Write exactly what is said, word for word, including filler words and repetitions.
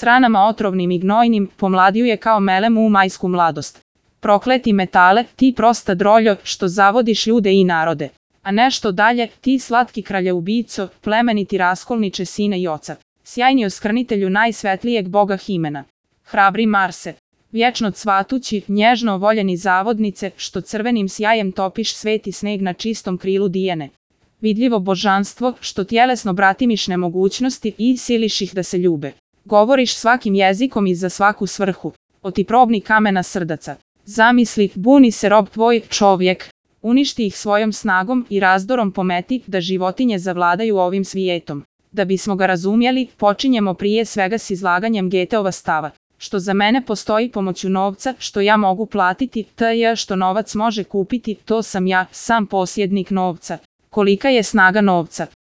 s ranama otrovnim i gnojnim, pomladio je kao melem u majsku mladost. Prokleti metale, ti prosta droljo, što zavodiš ljude i narode. A nešto dalje, ti slatki kraljeubico, plemeniti raskolniče sine i oca. Sjajni oskrnitelju najsvetlijeg boga Himena. Hrabri Marse. Vječno cvatući, nježno voljeni zavodnice, što crvenim sjajem topiš sveti sneg na čistom krilu Dijene. Vidljivo božanstvo, što tjelesno bratimiš nemogućnosti i siliš ih da se ljube. Govoriš svakim jezikom i za svaku svrhu. O ti probni kamena srdaca. Zamisli, buni se rob tvoj, čovjek. Uništi ih svojom snagom i razdorom pometi da životinje zavladaju ovim svijetom. Da bismo ga razumjeli, počinjemo prije svega s izlaganjem Goetheova stava. Što za mene postoji pomoću novca, što ja mogu platiti, t.j. što novac može kupiti, to sam ja, sam posjednik novca. Kolika je snaga novca?